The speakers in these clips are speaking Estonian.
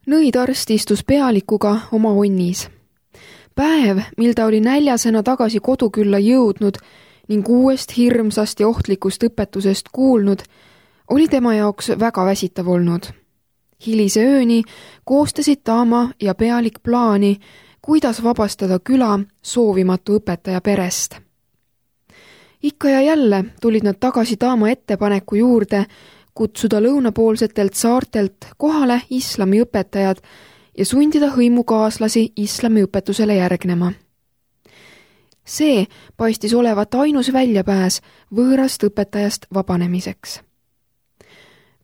Nõidarst istus pealikuga oma onnis. Päev, mil ta oli näljasena tagasi kodukülla jõudnud ning uuest hirmsast ja ohtlikust õpetusest kuulnud, oli tema jaoks väga väsitav olnud. Hilise ööni koostasid Taama ja pealik plaani, kuidas vabastada küla soovimatu õpetaja perest. Ikka ja jälle tulid nad tagasi Taama ettepaneku juurde kutsuda lõunapoolsetelt saartelt kohale islamiõpetajad ja sundida hõimukaaslasi islamiõpetusele järgnema. See paistis olevat ainus väljapääs võõrast õpetajast vabanemiseks.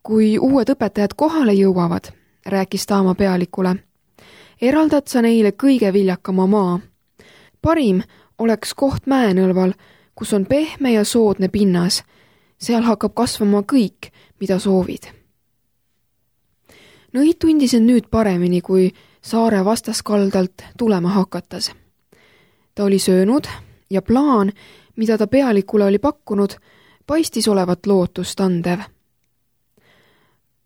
Kui uued õpetajad kohale jõuavad, rääkis Taama pealikule, eraldad sa neile kõige viljakama maa. Parim oleks koht mäenõlval, kus on pehme ja soodne pinnas. Seal hakkab kasvama kõik, mida soovid. Nõid tundis end nüüd paremini, kui saare vastaskaldalt tulema hakatas. Ta oli söönud ja plaan, mida ta pealikule oli pakkunud, paistis olevat lootust andev.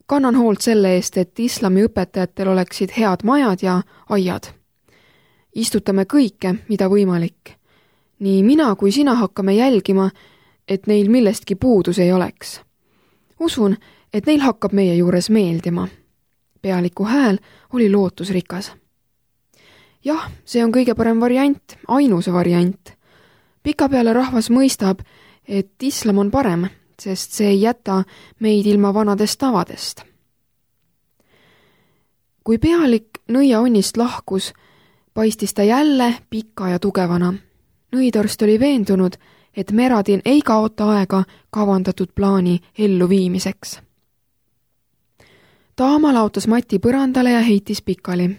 Kannan hoolt selle eest, et islamiõpetajatel oleksid head majad ja aiad. Istutame kõike, mida võimalik. Nii mina kui sina hakkame jälgima, et neil millestki puudus ei oleks. Usun, et neil hakkab meie juures meeldima. Pealiku hääl oli lootusrikas. Jah, see on kõige parem variant, ainus variant. Pikapeale rahvas mõistab, et islam on parem, sest see ei jäta meid ilma vanadest tavadest. Kui pealik nõia onnist lahkus, paistis ta jälle pika ja tugevana. Nõidarst oli veendunud, et Meradin ei kaota aega kavandatud plaani elluviimiseks. Taama laotas mati põrandale ja heitis pikali.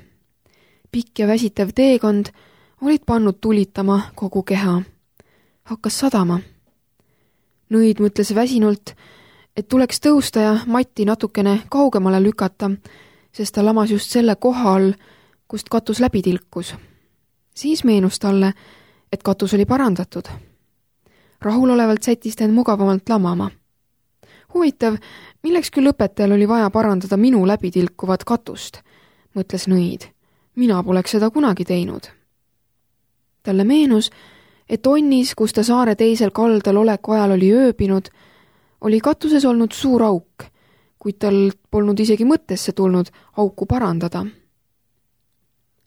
Pikk ja väsitev teekond olid pannud tulitama kogu keha. Hakkas sadama. Nõid mõtles väsinult, et tuleks tõusta ja matti natukene kaugemale lükata, sest ta lamas just selle koha all, kust katus läbi tilkus. Siis meenus talle, et katus oli parandatud. Rahulolevalt sättis ta end mugavamalt lamama. Huvitav, milleks küll õpetajal oli vaja parandada minu läbitilkuvat katust, mõtles Nõid. Mina poleks seda kunagi teinud. Talle meenus, et onnis, kus ta saare teisel kaldal oleku ajal oli ööbinud, oli katuses olnud suur auk, kuid tal polnud isegi mõttesse tulnud auku parandada.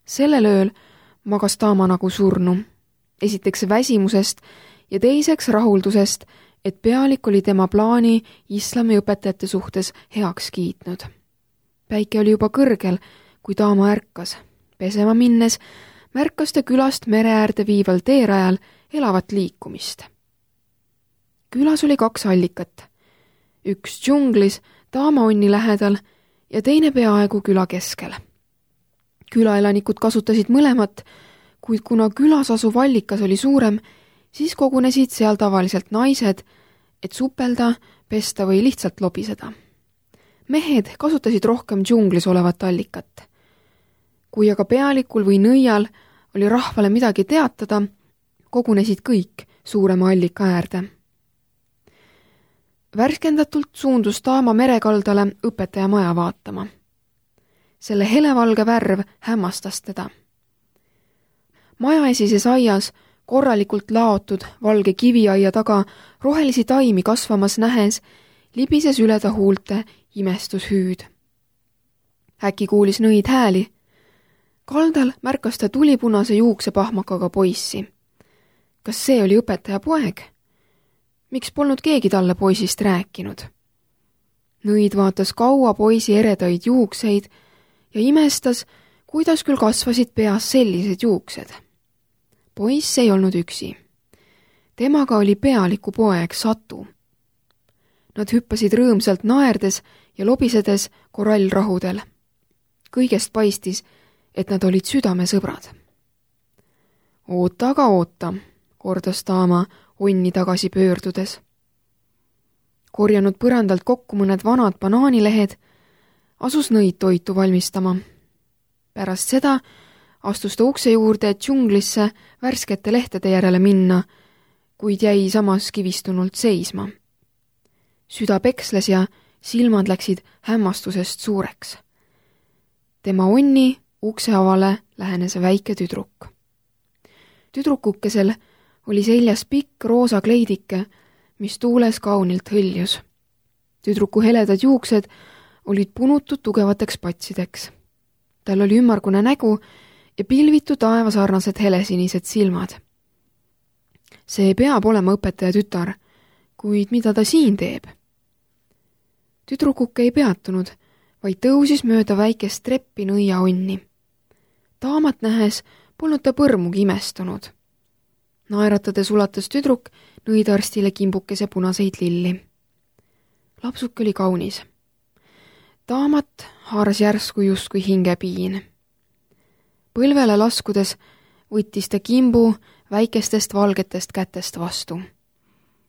Sellel ööl magas Taama nagu surnu. Esiteks väsimusest ja teiseks rahuldusest, et pealik oli tema plaani islamiõpetajate suhtes heaks kiitnud. Päike oli juba kõrgel, kui Taama ärkas. Pesema minnes märkas ta külast mere äärde viival teerajal elavat liikumist. Külas oli 2 allikat. Üks džunglis Taama onni lähedal ja teine peaaegu küla keskel. Külaelanikud kasutasid mõlemat, kuid kuna külas asuv allikas oli suurem, siis kogunesid seal tavaliselt naised, et supelda, pesta või lihtsalt lobiseda. Mehed kasutasid rohkem džunglis olevat allikat. Kui aga pealikul või nõial oli rahvale midagi teatada, kogunesid kõik suurema allika äärde. Värskendatult suundus Taama merekaldale õpetaja maja vaatama. Selle helevalge värv hämmastas teda. Maja esises aias, korralikult laotud valge kiviaia taga rohelisi taimi kasvamas nähes, libises üle ta huulte imestushüüd. Äkki kuulis Nõid hääli. Kaldal märkas ta tulipunase juuksepahmakaga poissi. Kas see oli õpetaja poeg? Miks polnud keegi talle poisist rääkinud? Nõid vaatas kaua poisi eredaid juukseid ja imestas, kuidas küll kasvasid peas sellised juuksed. Poiss ei olnud üksi. Temaga oli pealiku poeg Satu. Nad hüppasid rõõmsalt naerdes ja lobisedes korallrahudel. Kõigest paistis, et nad olid südamesõbrad. Oota, aga oota, kordas Taama onni tagasi pöördudes. Korjanud põrandalt kokku mõned vanad banaanilehed, asus Nõid toitu valmistama. Pärast seda astus ta ukse juurde džunglisse värskete lehtede järele minna, kuid jäi samas kivistunult seisma. Süda peksles ja silmad läksid hämmastusest suureks. Tema onni ukse avale lähenes väike tüdruk. Tüdrukukesel oli seljas pikk roosa kleidike, mis tuules kaunilt hõljus. Tüdruku heledad juuksed olid punutud tugevateks patsideks. Tal oli ümmargune nägu ja pilvitu taevasarnased helesinised silmad. See peab olema õpetaja tütar, kuid mida ta siin teeb? Tüdrukuke ei peatunud, vaid tõusis mööda väikest treppi nõia onni. Daamat nähes polnud ta põrmugi imestunud. Naeratades ulatas tüdruk nõidarstile kimbukese punaseid lilli. Lapsuke oli kaunis. Daamat haaras järsku justkui hingepiin. Põlvele laskudes võttis ta kimbu väikestest valgetest kätest vastu.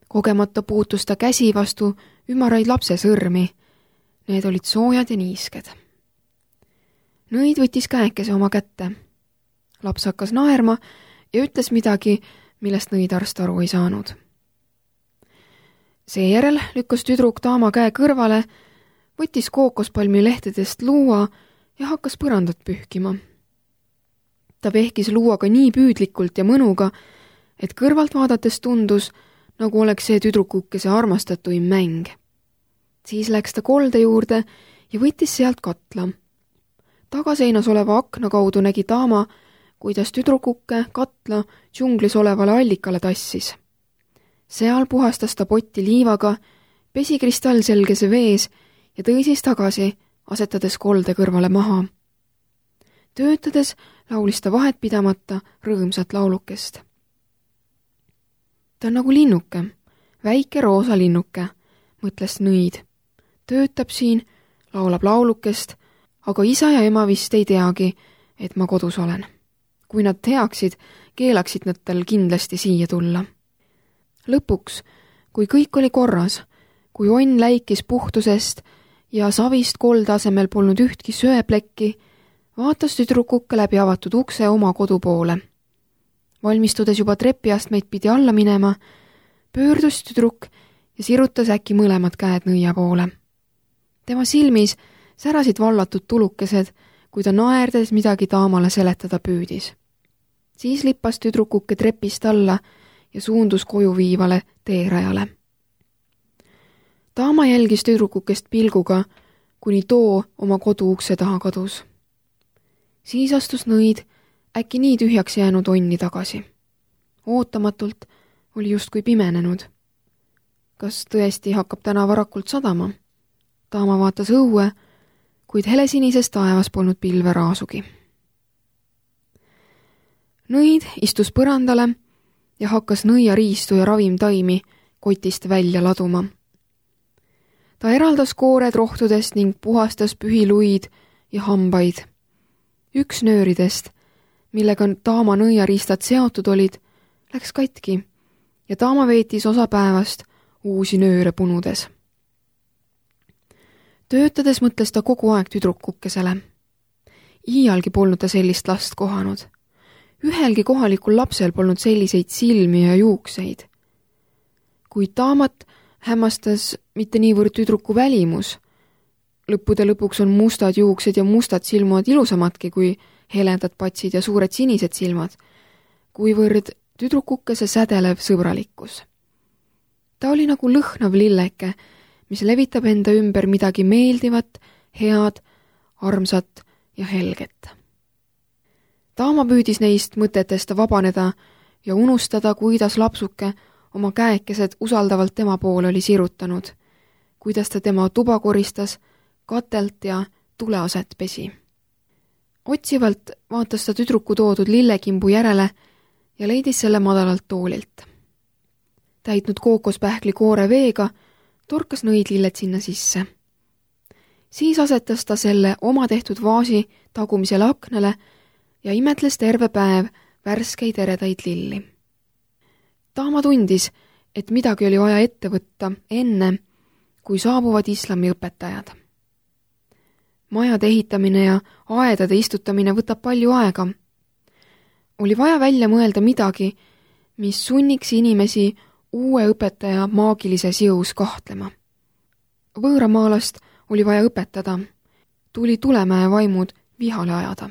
Kogemata puutus ta käsi vastu ümaraid lapse sõrmi. Need olid soojad ja niisked. Nõid võttis käekese oma kätte. Laps hakkas naerma ja ütles midagi, millest nõidarst aru ei saanud. Seejärel lükkas tüdruk Daama käe kõrvale, võttis kookospalmi lehtedest luua ja hakkas põrandat pühkima. Ta pehkis luuaga nii püüdlikult ja mõnuga, et kõrvalt vaadates tundus, nagu oleks see tüdrukukese armastatuim mäng. Siis läks ta kolde juurde ja võttis sealt katla. Tagaseinas oleva akna kaudu nägi Daama, kuidas tüdrukuke katla džunglis olevale allikale tassis. Seal puhastas ta potti liivaga, pesi kristallselgese vees ja tõi siis tagasi, asetades kolde kõrvale maha. Töötades laulis ta vahet pidamata rõõmsat laulukest. Ta on nagu linnuke, väike roosa linnuke, mõtles nõid. Töötab siin, laulab laulukest, aga isa ja ema vist ei teagi, et ma kodus olen. Kui nad teaksid, keelaksid nad tal kindlasti siia tulla. Lõpuks, kui kõik oli korras, kui onn läikis puhtusest ja savist kolde asemel polnud ühtki söeplekki, vaatas tüdrukukke läbi avatud ukse oma kodu poole. Valmistudes juba trepiastmeid pidi alla minema, pöördus tüdruk ja sirutas äkki mõlemad käed nõia poole. Tema silmis särasid vallatud tulukesed, kui ta naerdes midagi Daamale seletada püüdis. Siis lippas tüdrukuke trepist alla ja suundus koju viivale teerajale. Daama jälgis tüdrukukest pilguga, kuni too oma kodu ukse taha kadus. Siis astus nõid äkki nii tühjaks jäänud onni tagasi. Ootamatult oli justkui pimenenud. Kas tõesti hakkab täna varakult sadama? Daama vaatas õue, kuid helesinises taevas polnud pilve raasugi. Nõid istus põrandale ja hakkas nõiariistu ja ravimtaimi kotist välja laduma. Ta eraldas koored rohtudest ning puhastas pühiluid ja hambaid. Üks nööridest, millega Daama nõiariistad seotud olid, läks katki ja Daama veetis osa päevast uusi nööre punudes. Töötades mõtles ta kogu aeg tüdrukukesele. Iialgi polnud ta sellist last kohanud. Ühelgi kohalikul lapsel polnud selliseid silmi ja juukseid. Kuid Daamat hämmastas mitte niivõrd tüdruku välimus. Lõppude lõpuks on mustad juuksed ja mustad silmad ilusamadki kui heledad patsid ja suured sinised silmad, kuivõrd tüdrukukese sädelev sõbralikkus. Ta oli nagu lõhnav lilleke, mis levitab enda ümber midagi meeldivat, head, armsat ja helget. Daama püüdis neist mõtetest vabaneda ja unustada, kuidas lapsuke oma käekesed usaldavalt tema poole oli sirutanud, kuidas ta tema tuba koristas, katelt ja tuleaset pesi. Otsivalt vaatas ta tüdruku toodud lillekimbu järele ja leidis selle madalalt toolilt. Täitnud kookospähkli koore veega, torkas nõid lilled sinna sisse. Siis asetas ta selle oma tehtud vaasi tagumisele aknale ja imetles terve päev värskeid eredaid lilli. Daama tundis, et midagi oli vaja ette võtta enne, kui saabuvad islami õpetajad. Majade ehitamine ja aedade istutamine võtab palju aega. Oli vaja välja mõelda midagi, mis sunniks inimesi uue õpetaja maagilises jõus kahtlema. Võõramaalast oli vaja õpetada. Tuli Tulemäe vaimud vihale ajada.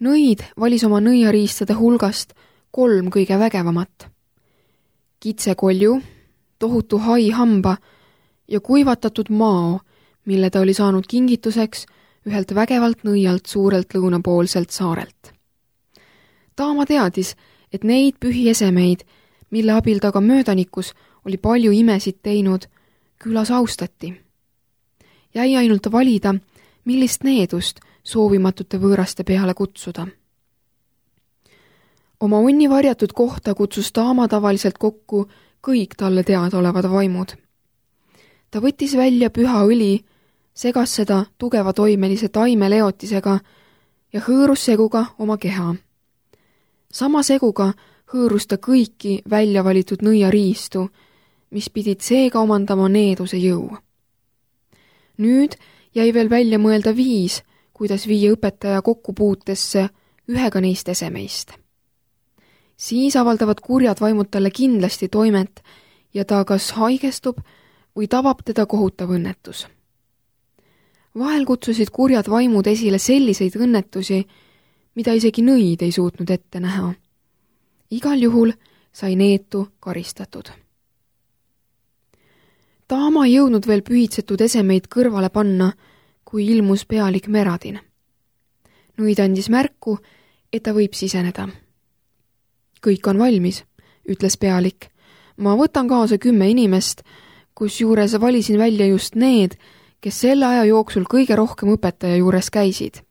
Nõid valis oma nõiariistade hulgast 3 kõige vägevamat. Kitsekolju, tohutu haihamba ja kuivatatud mao, mille ta oli saanud kingituseks ühelt vägevalt nõialt suurelt lõunapoolselt saarelt. Taama teadis, et neid pühiesemeid, mille abil ta ka möödanikus oli palju imesid teinud, külas austati. Jäi ainult valida, millist needust soovimatute võõraste peale kutsuda. Oma onni varjatud kohta kutsus Taama tavaliselt kokku kõik talle teadaolevad vaimud. Ta võttis välja püha õli, segas seda tugeva toimelise taimeleotisega ja hõõrus seguga oma keha. Sama seguga hõõrus ta kõiki välja valitud nõiariistu, mis pidid seega omandama needuse jõu. Nüüd jäi veel välja mõelda viis, kuidas viia õpetaja kokkupuutesse ühega neist esemeist. Siis avaldavad kurjad vaimud talle kindlasti toimet ja ta kas haigestub või tabab teda kohutav õnnetus. Vahel kutsusid kurjad vaimud esile selliseid õnnetusi, mida isegi nõid ei suutnud ette näha. Igal juhul sai neetu karistatud. Taama ei jõudnud veel pühitsetud esemeid kõrvale panna, kui ilmus pealik Meradin. Nõid andis märku, et ta võib siseneda. Kõik on valmis, ütles pealik. Ma võtan kaasa 10 inimest, kusjuures valisin välja just need, kes selle aja jooksul kõige rohkem õpetaja juures käisid.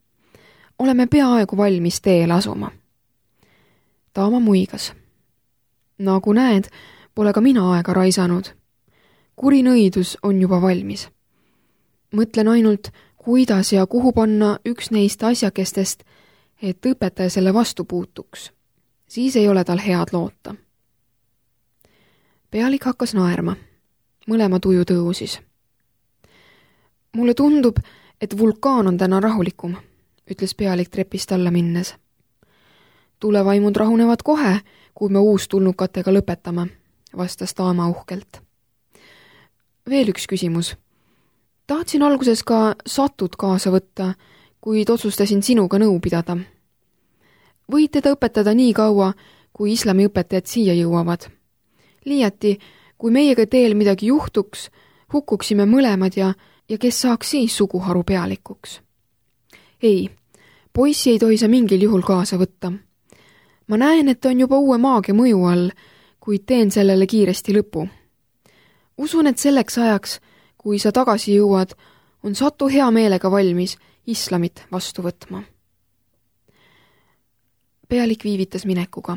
Oleme peaaegu valmis teele asuma. Taama muigas. Nagu näed, pole ka mina aega raisanud. Kuri nõidus on juba valmis. Mõtlen ainult, kuidas ja kuhu panna üks neist asjakestest, et õpetaja selle vastu puutuks. Siis ei ole tal head loota. Pealik hakkas naerma. Mõlema tuju tõusis. Mulle tundub, et vulkaan on täna rahulikum, ütles pealik trepist alla minnes. Tulevaimud rahunevad kohe, kui me uustulnukatega lõpetame, vastas Taama uhkelt. Veel üks küsimus. Tahtsin alguses ka Satut kaasa võtta, kuid otsustasin sinuga nõu pidada. Võid teda õpetada nii kaua, kui islami õpetajad siia jõuavad. Liiati, kui meiega teel midagi juhtuks, hukkuksime mõlemad ja kes saaks siis suguharu pealikuks. Ei, poissi ei tohi sa mingil juhul kaasa võtta. Ma näen, et ta on juba uue maagia mõju all, kuid teen sellele kiiresti lõpu. Usun, et selleks ajaks, kui sa tagasi jõuad, on Satu hea meelega valmis islamit vastu võtma. Pealik viivitas minekuga.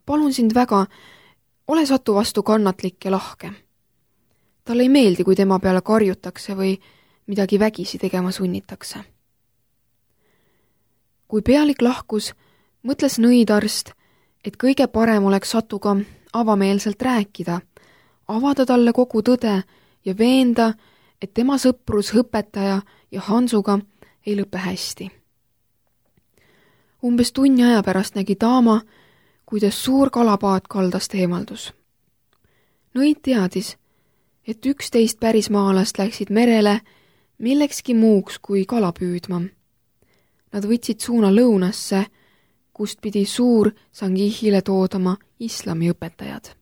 Palun sind väga, ole Satu vastu kannatlik ja lahke. Talle ei meeldi, kui tema peale karjutakse või midagi vägisi tegema sunnitakse. Kui pealik lahkus, mõtles nõidarst, et kõige parem oleks Satuga avameelselt rääkida, avada talle kogu tõde ja veenda, et tema sõprus õpetaja ja Hansuga ei lõpe hästi. Umbes tunni aja pärast nägi Taama, kuidas suur kalapaat kaldast eemaldus. Nõid teadis, et 11 pärismaalast läksid merele millekski muuks kui kala püüdma. Nad võtsid suuna lõunasse, kust pidi suur Sangihile toodama islami õpetajad.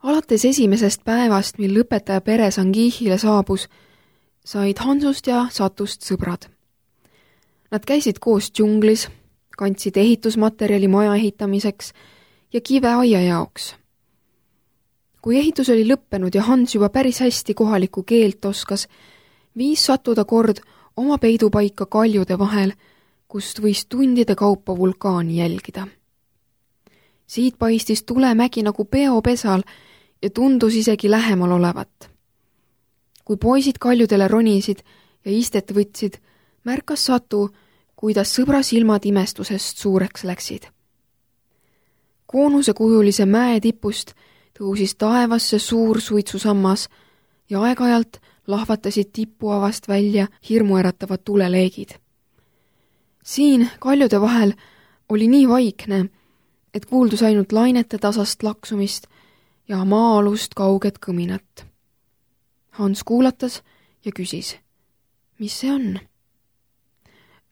Alates esimesest päevast, mil õpetaja pere Sangihile saabus, said Hansust ja Satust sõbrad. Nad käisid koos džunglis, kandsid ehitusmaterjali maja ehitamiseks ja kive aia jaoks. Kui ehitus oli lõppenud ja Hans juba päris hästi kohalikku keelt oskas, viis Satu ta kord oma peidupaika kaljude vahel, kust võis tundide kaupa vulkaani jälgida. Siit paistis tulemägi nagu peopesal ja tundus isegi lähemal olevat. Kui poisid kaljudele ronisid ja istet võtsid, märkas Satu, kuidas sõbra silmad imestusest suureks läksid. Koonusekujulise mäe tipust tõusis taevasse suur suitsusammas ja aeg-ajalt lahvatasid tipuavast välja hirmuäratavad tuleleegid. Siin kaljude vahel oli nii vaikne, et kuuldus ainult lainete tasast laksumist ja maa-alust kauget kõminat. Hans kuulatas ja küsis, mis see on?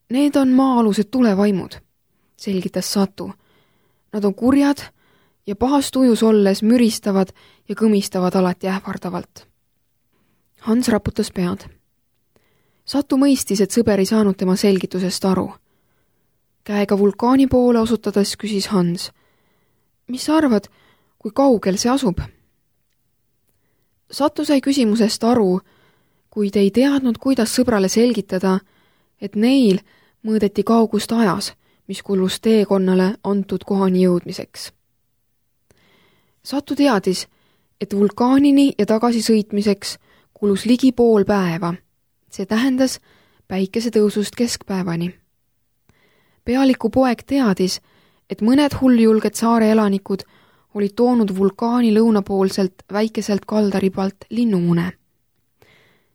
Need on maa-alused tulevaimud, selgitas Satu. Nad on kurjad ja pahas tujus olles müristavad ja kõmistavad alati ähvardavalt. Hans raputas pead. Satu mõistis, et sõber ei saanud tema selgitusest aru. Käega vulkaani poole osutades küsis Hans. Mis sa arvad, kui kaugel see asub? Satu sai küsimusest aru, kuid ei teadnud, kuidas sõbrale selgitada, et neil mõõdeti kaugust ajas, mis kulus teekonnale antud kohani jõudmiseks. Satu teadis, et vulkaanini ja tagasi sõitmiseks kulus ligi pool päeva. See tähendas päikesetõusust keskpäevani. Pealiku poeg teadis, et mõned hulljulged saare elanikud olid toonud vulkaani lõunapoolselt väikeselt kaldaribalt linnumune.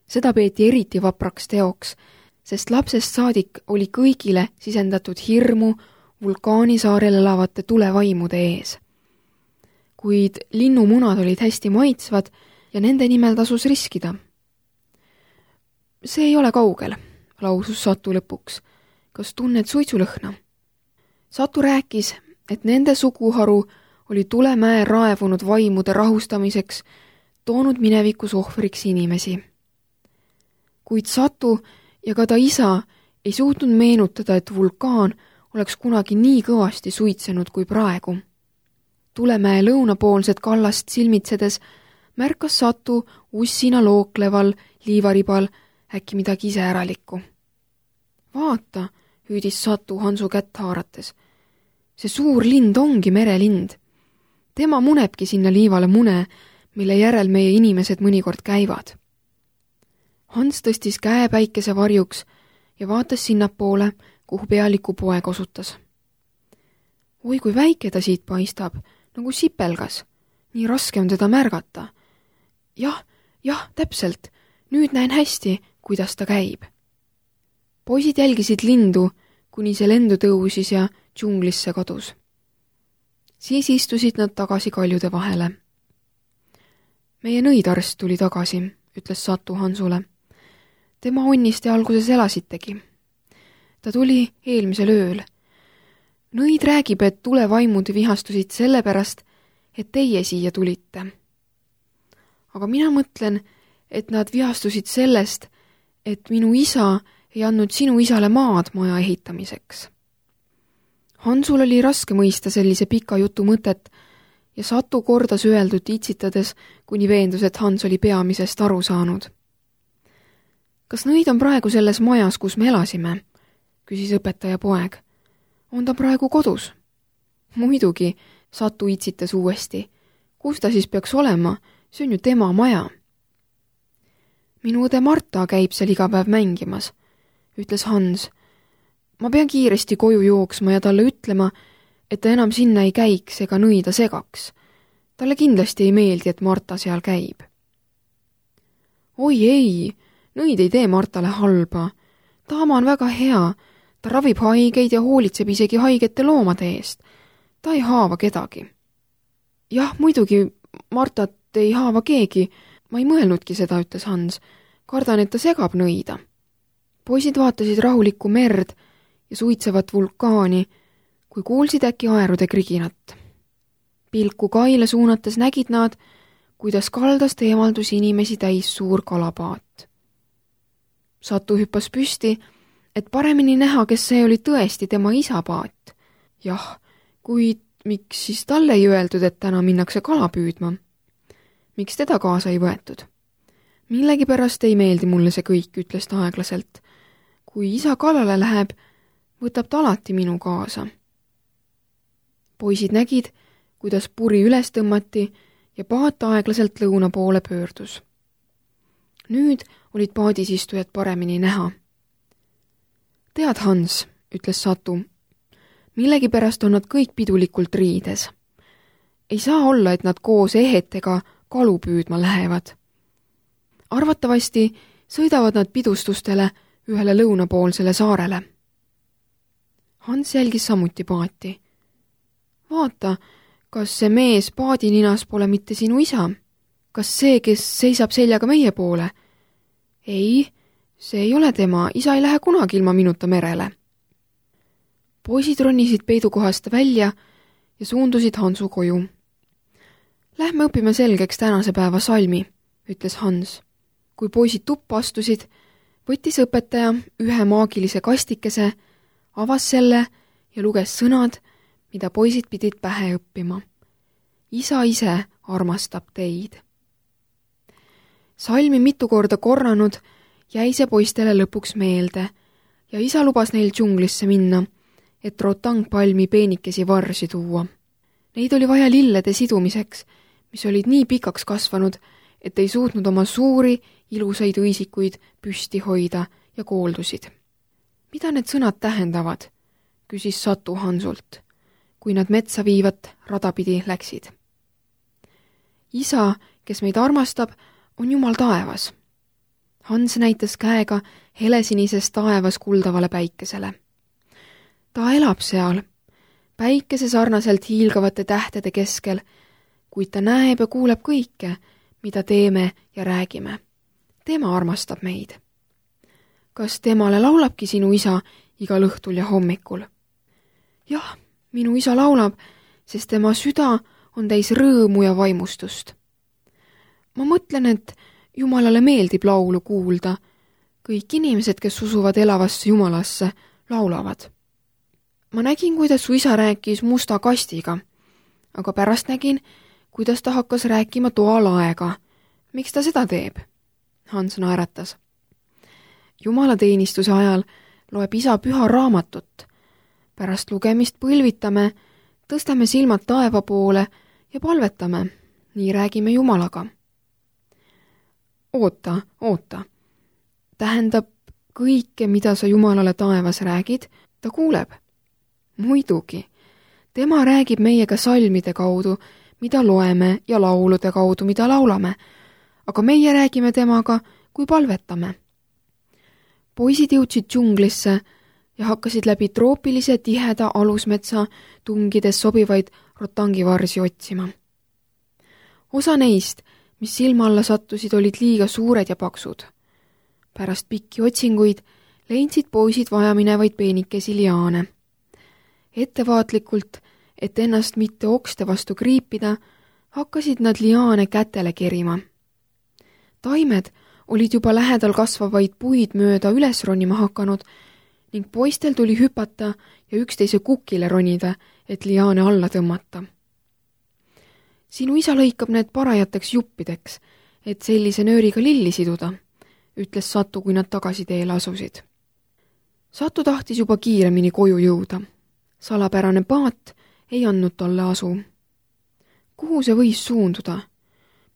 Seda peeti eriti vapraks teoks, sest lapsest saadik oli kõigile sisendatud hirmu vulkaanisaarel elavate tulevaimude ees. Kuid linnumunad olid hästi maitsvad ja nende nimel tasus riskida. See ei ole kaugel, lausus Satu lõpuks. Kas tunned suitsulõhna? Satu rääkis, et nende suguharu oli Tulemäe raevunud vaimude rahustamiseks toonud minevikus ohvriks inimesi. Kuid Satu ja ka ta isa ei suutnud meenutada, et vulkaan oleks kunagi nii kõvasti suitsenud kui praegu. Tulemäe lõunapoolset kallast silmitsedes märkas Satu ussina lookleval liivaribal äkki midagi iseäralikku. Vaata, hüüdis Satu Hansu kätt haarates. See suur lind ongi merelind. Tema munebki sinna liivale mune, mille järel meie inimesed mõnikord käivad. Hans tõstis käe päikese varjuks ja vaatas sinnapoole, kuhu pealiku poeg osutas. Oi, kui väike ta siit paistab, nagu sipelgas. Nii raske on teda märgata. Jah, täpselt. Nüüd näen hästi, kuidas ta käib. Poisid jälgisid lindu, kuni see lendu tõusis ja džunglisse kadus. Siis istusid nad tagasi kaljude vahele. Meie nõidarst tuli tagasi, ütles Satu Hansule. Tema onnist te alguses elasitegi. Ta tuli eelmisel ööl. Nõid räägib, et tulevaimud vihastusid sellepärast, et teie siia tulite. Aga mina mõtlen, et nad vihastusid sellest, et minu isa ei andnud sinu isale maad maja ehitamiseks. Hansul oli raske mõista sellise pika jutu mõtet ja Satu kordas öeldut itsitades, kuni veendus, et Hans oli peamisest aru saanud. Kas nõid on praegu selles majas, kus me elasime? Küsis õpetaja poeg. On ta praegu kodus? Muidugi, Satu itsitas uuesti. Kus ta siis peaks olema? See on ju tema maja. Minu õde Marta käib seal iga päev mängimas, ütles Hans. Ma pean kiiresti koju jooksma ja talle ütlema, et ta enam sinna ei käiks ega nõida segaks. Talle kindlasti ei meeldi, et Marta seal käib. Oi ei, nõid ei tee Martale halba. Taama on väga hea. Ta ravib haigeid ja hoolitseb isegi haigete loomade eest. Ta ei haava kedagi. Jah, muidugi, Martat ei haava keegi. Ma ei mõelnudki seda, ütles Hans. Kardan, et ta segab nõida. Poisid vaatasid rahulikku merd ja suitsevat vulkaani, kui kuulsid äkki aerude kriginat. Pilku kaile suunates nägid nad, kuidas kaldast eemaldus inimesi täis suur kalapaat. Satu hüppas püsti, et paremini näha, kes see oli tõesti tema isa paat. Jah, kuid miks siis talle ei öeldud, et täna minnakse kala püüdma? Miks teda kaasa ei võetud? Millegipärast ei meeldi mulle see kõik, ütles ta aeglaselt. Kui isa kalale läheb, võtab ta alati minu kaasa. Poisid nägid, kuidas puri üles tõmmati ja paat aeglaselt lõuna poole pöördus. Nüüd olid paadis istujad paremini näha. Tead, Hans, ütles Satu, millegipärast on nad kõik pidulikult riides. Ei saa olla, et nad koos ehetega kalu püüdma lähevad. Arvatavasti sõidavad nad pidustustele ühele lõunapoolsele saarele. Hans jälgis samuti paati. Vaata, kas see mees paadininas pole mitte sinu isa? Kas see, kes seisab seljaga meie poole? Ei, See ei ole tema, isa ei lähe kunagi ilma minuta merele. Poisid ronisid peidukohast välja ja suundusid Hansu koju. Lähme õpime selgeks tänase päeva salmi, ütles Hans. Kui poisid tuppa astusid, võttis õpetaja ühe maagilise kastikese, avas selle ja luges sõnad, mida poisid pidid pähe õppima. Isa ise armastab teid. Salmi mitu korda korranud jäi see poistele lõpuks meelde ja isa lubas neil džunglisse minna, et rotangpalmi peenikesi varsi tuua. Neid oli vaja lillede sidumiseks, mis olid nii pikaks kasvanud, et ei suutnud oma suuri, ilusaid õisikuid püsti hoida ja kooldusid. Mida need sõnad tähendavad, küsis Satu Hansult, kui nad metsa viivat radapidi läksid. Isa, kes meid armastab, on Jumal taevas. Hans näitas käega helesinises taevas kuldavale päikesele. Ta elab seal, päikese sarnaselt hiilgavate tähtede keskel, kuid ta näeb ja kuuleb kõike, mida teeme ja räägime. Tema armastab meid. Kas temale laulabki sinu isa igal õhtul ja hommikul? Jah, minu isa laulab, sest tema süda on täis rõõmu ja vaimustust. Ma mõtlen, et Jumalale meeldib laulu kuulda. Kõik inimesed, kes usuvad elavasse Jumalasse, laulavad. Ma nägin, kuidas su isa rääkis musta kastiga, aga pärast nägin, kuidas ta hakkas rääkima toalaega. Miks ta seda teeb? Hans naeratas. Jumalateenistuse ajal loeb isa püha raamatut. Pärast lugemist põlvitame, tõstame silmad taeva poole ja palvetame. Nii räägime Jumalaga. Oota. Tähendab, kõike, mida sa Jumalale taevas räägid, ta kuuleb. Muidugi. Tema räägib meiega salmide kaudu, mida loeme ja laulude kaudu, mida laulame, aga meie räägime temaga, kui palvetame. Poisid jõudsid džunglisse ja hakkasid läbi troopilise tiheda alusmetsa tungides sobivaid rotangivarsi otsima. Osa neist, mis silma alla sattusid, olid liiga suured ja paksud. Pärast pikki otsinguid leidsid poisid vajaminevaid peenikesi liaane. Ettevaatlikult, et ennast mitte okste vastu kriipida, hakkasid nad liaane kätele kerima. Taimed olid juba lähedal kasvavaid puid mööda üles ronima hakanud ning poistel tuli hüpata ja üksteise kukile ronida, et liaane alla tõmmata. Sinu isa lõikab need parajateks juppideks, et sellise nööriga lilli siduda, ütles Satu, kui nad tagasi teele asusid. Satu tahtis juba kiiremini koju jõuda. Salapärane paat ei andnud talle asu. Kuhu see võis suunduda?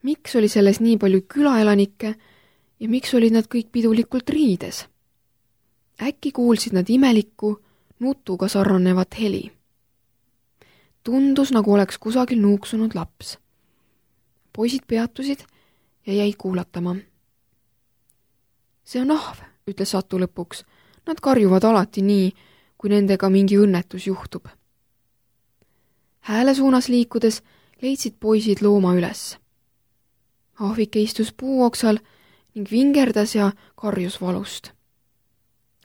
Miks oli selles nii palju külaelanikke ja miks olid nad kõik pidulikult riides? Äkki kuulsid nad imelikku, nutuga sarnanevat heli. Tundus, nagu oleks kusagil nuuksunud laps. Poisid peatusid ja jäid kuulatama. See on ahv, ütles Satu lõpuks. Nad karjuvad alati nii, kui nendega mingi õnnetus juhtub. Hääle suunas liikudes leidsid poisid looma üles. Ahvike istus puuoksal ning vingerdas ja karjus valust.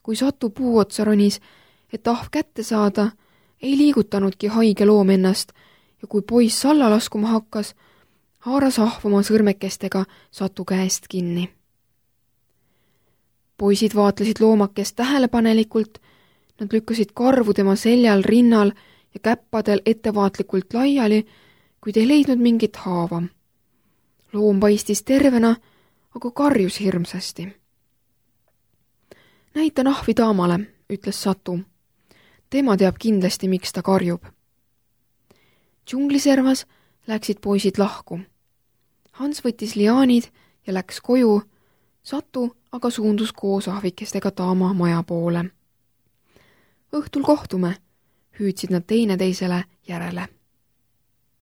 Kui Satu puuotsa ronis, et ahv kätte saada, ei liigutanudki haige loom ennast ja kui poiss alla laskuma hakkas, haaras ahv oma sõrmekestega Satu käest kinni. Poisid vaatlesid loomakest tähelepanelikult, nad lükkasid karvu tema seljal, rinnal ja käppadel ettevaatlikult laiali, kuid ei leidnud mingit haava. Loom paistis tervena, aga karjus hirmsasti. Näitan ahvi daamale, ütles Satu. Tema teab kindlasti, miks ta karjub. Džungliservas läksid poisid lahku. Hans võttis liaanid ja läks koju, Satu aga suundus koos ahvikestega daama maja poole. Õhtul kohtume, hüüdsid nad teineteisele järele.